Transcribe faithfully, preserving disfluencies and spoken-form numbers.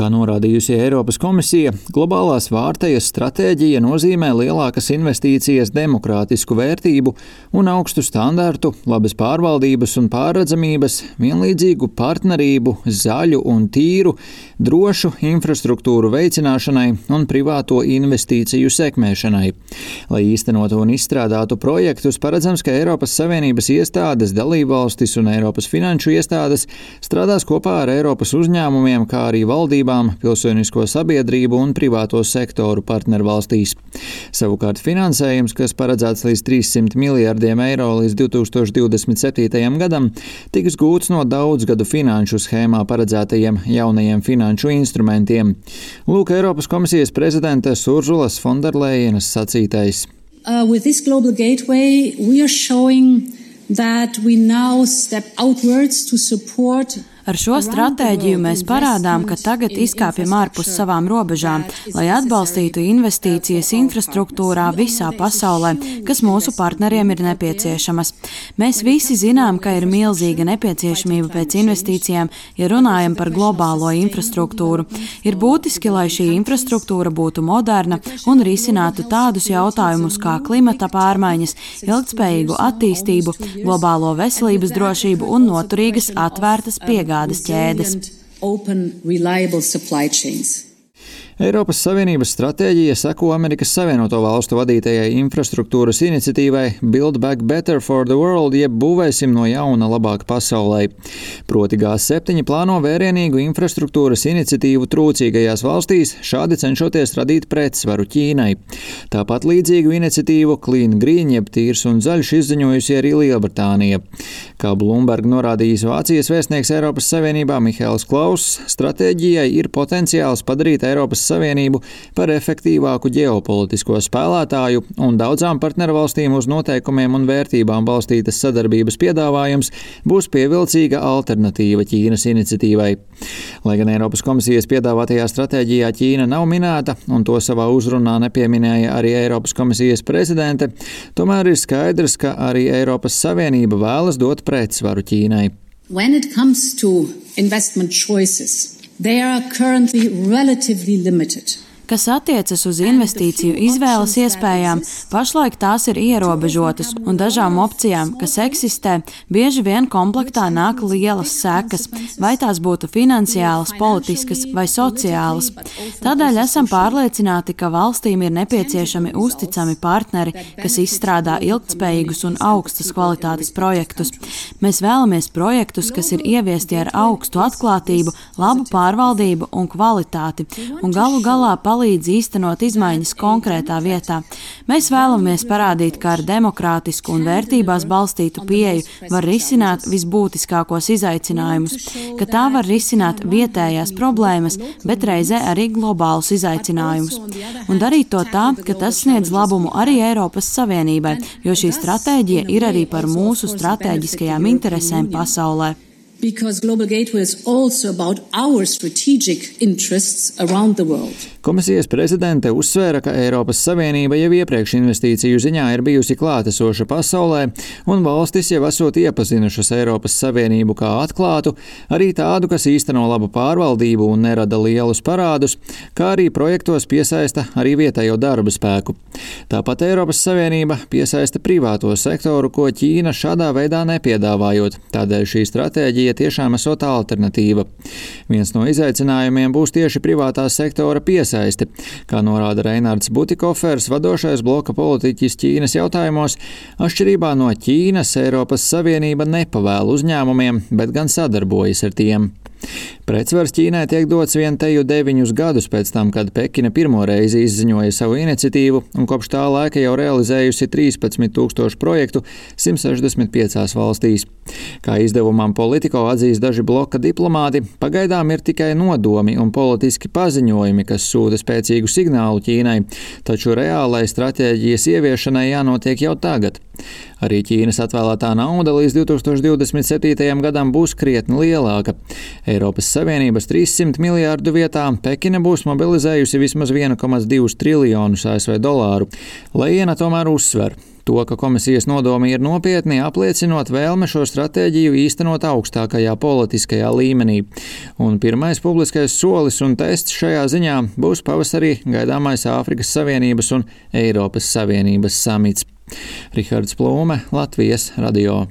Kā norādījusi Eiropas komisija, globālās vārtejas stratēģija nozīmē lielākas investīcijas demokrātisku vērtību un augstu standartu, labas pārvaldības un pārredzamības, vienlīdzīgu partnerību, zaļu un tīru, drošu infrastruktūru veicināšanai un privāto investīciju sekmēšanai. Lai īstenotu un izstrādātu projektus, paredzams, ka Eiropas Savienības iestādes, dalībvalstis un Eiropas finanšu iestādes strādās kopā ar Eiropas uzņēmumiem, kā arī valdībām, pilsonisko sabiedrību un privāto sektoru partnervalstīs. Savukārt finansējums, kas paredzēts līdz trīssimt miljardiem eiro līdz divi tūkstoši divdesmit septītajam gadam, tiks gūts no daudzgadu finanšu schēmā paredzētajiem jaunajiem finanšu instrumentiem. Lūk, Eiropas komisijas prezidentes Urzulas Fonderlejenas sacītais. Uh, with this global gateway, we are showing that we now step outwards to support. Ar šo stratēģiju mēs parādām, ka tagad izkāpjam ārpus savām robežām, lai atbalstītu investīcijas infrastruktūrā visā pasaulē, kas mūsu partneriem ir nepieciešamas. Mēs visi zinām, ka ir milzīga nepieciešamība pēc investīcijām, ja runājam par globālo infrastruktūru. Ir būtiski, lai šī infrastruktūra būtu moderna un risinātu tādus jautājumus kā klimata pārmaiņas, ilgtspējīgu attīstību, globālo veselības drošību un noturīgas atvērtas piegādes. Eiropas Savienības stratēģija seko Amerikas Savienoto Valstu vadītajai infrastruktūras iniciatīvai Build Back Better for the World, jeb būvēsim no jauna labāk pasaulē. Proti G septiņi plāno vērienīgu infrastruktūras iniciatīvu trūcīgajās valstīs, šādi cenšoties radīt pretsvaru Ķīnai. Tāpat līdzīgu iniciatīvu Clean Green, jeb tīrs un zaļš, izziņojusi arī Lielbritānija. Kā Bloomberg norādījis Vācijas vēstnieks Eiropas Savienībā Mihails Klauss, stratēģijai ir potenciāls padarīt Eiropas Savienību par efektīvāku ģeopolitisko spēlētāju, un daudzām partnervalstīm uz noteikumiem un vērtībām balstītas sadarbības piedāvājums būs pievilcīga alternatīva Ķīnas iniciatīvai. Lai gan Eiropas komisijas piedāvātajā stratēģijā Ķīna nav minēta, un to savā uzrunā nepieminēja arī Eiropas komisijas prezidente, tomēr ir skaidrs, ka arī Eiropas Savienība vēlas dot pretsvaru Ķīnai. When it comes to investment choices, they are currently relatively limited. Kas attiecas uz investīciju izvēles iespējām, pašlaik tās ir ierobežotas, un dažām opcijām, kas eksistē, bieži vien komplektā nāk lielas sekas, vai tās būtu finansiālas, politiskas vai sociālas. Tādēļ esam pārliecināti, ka valstīm ir nepieciešami uzticami partneri, kas izstrādā ilgtspējīgus un augstas kvalitātes projektus. Mēs vēlamies projektus, kas ir ieviesti ar augstu atklātību, labu pārvaldību un kvalitāti, un galu galā palīdz līdz īstenot izmaiņas konkrētā vietā. Mēs vēlamies parādīt, ka ar demokrātisku un vērtībās balstītu pieeju var risināt visbūtiskākos izaicinājumus, ka tā var risināt vietējās problēmas, bet reizē arī globālus izaicinājumus. Un darīt to tā, ka tas sniedz labumu arī Eiropas Savienībai, jo šī stratēģija ir arī par mūsu stratēģiskajām interesēm pasaulē. Because Global Gateway is also about our strategic interests around the world. Komisijas prezidente uzsvēra, ka Eiropas Savienība jau iepriekš investīciju ziņā ir bijusi klātesoša pasaulē, un valstis jau esot iepazinušas Eiropas Savienību kā atklātu, arī tādu, kas īsteno labu pārvaldību un nerada lielus parādus, kā arī projektos piesaista arī vietējo darba spēku. Tāpat Eiropas Savienība piesaista privāto sektoru, ko Ķīna šādā veidā nepiedāvājot. Tādēļ šī stratēģija tiešām esot alternatīva. Viens no izaicinājumiem būs tieši privātā sektora piesaisti. Kā norāda Reinards Butikofers, vadošais bloka politiķis Ķīnas jautājumos, atšķirībā no Ķīnas Eiropas Savienība nepavēl uzņēmumiem, bet gan sadarbojas ar tiem. Pretsvars Ķīnai tiek dots vien teju deviņus gadus pēc tam, kad Pekina pirmo reizi izziņoja savu iniciatīvu un kopš tā laika jau realizējusi trīspadsmit tūkstošu projektu simt sešdesmit piecās valstīs. Kā izdevumam Politico atzīst daži bloka diplomāti, pagaidām ir tikai nodomi un politiski paziņojumi, kas sūta spēcīgu signālu Ķīnai, taču reālai stratēģijas ieviešanai jānotiek jau tagad. Arī Ķīnas atvēlētā nauda līdz divi tūkstoši divdesmit septītajam gadam būs krietni lielāka. Eiropas Savienības trīssimt miljārdu vietā Pekina būs mobilizējusi vismaz viens komats divi triljonus A S V dolāru. Lejena tomēr uzsver. To, ka komisijas nodomi ir nopietni, apliecinot vēlme šo stratēģiju īstenot augstākajā politiskajā līmenī. Un pirmais publiskais solis un tests šajā ziņā būs pavasarī gaidāmais Āfrikas Savienības un Eiropas Savienības samits. Rihards Plūme, Latvijas radio.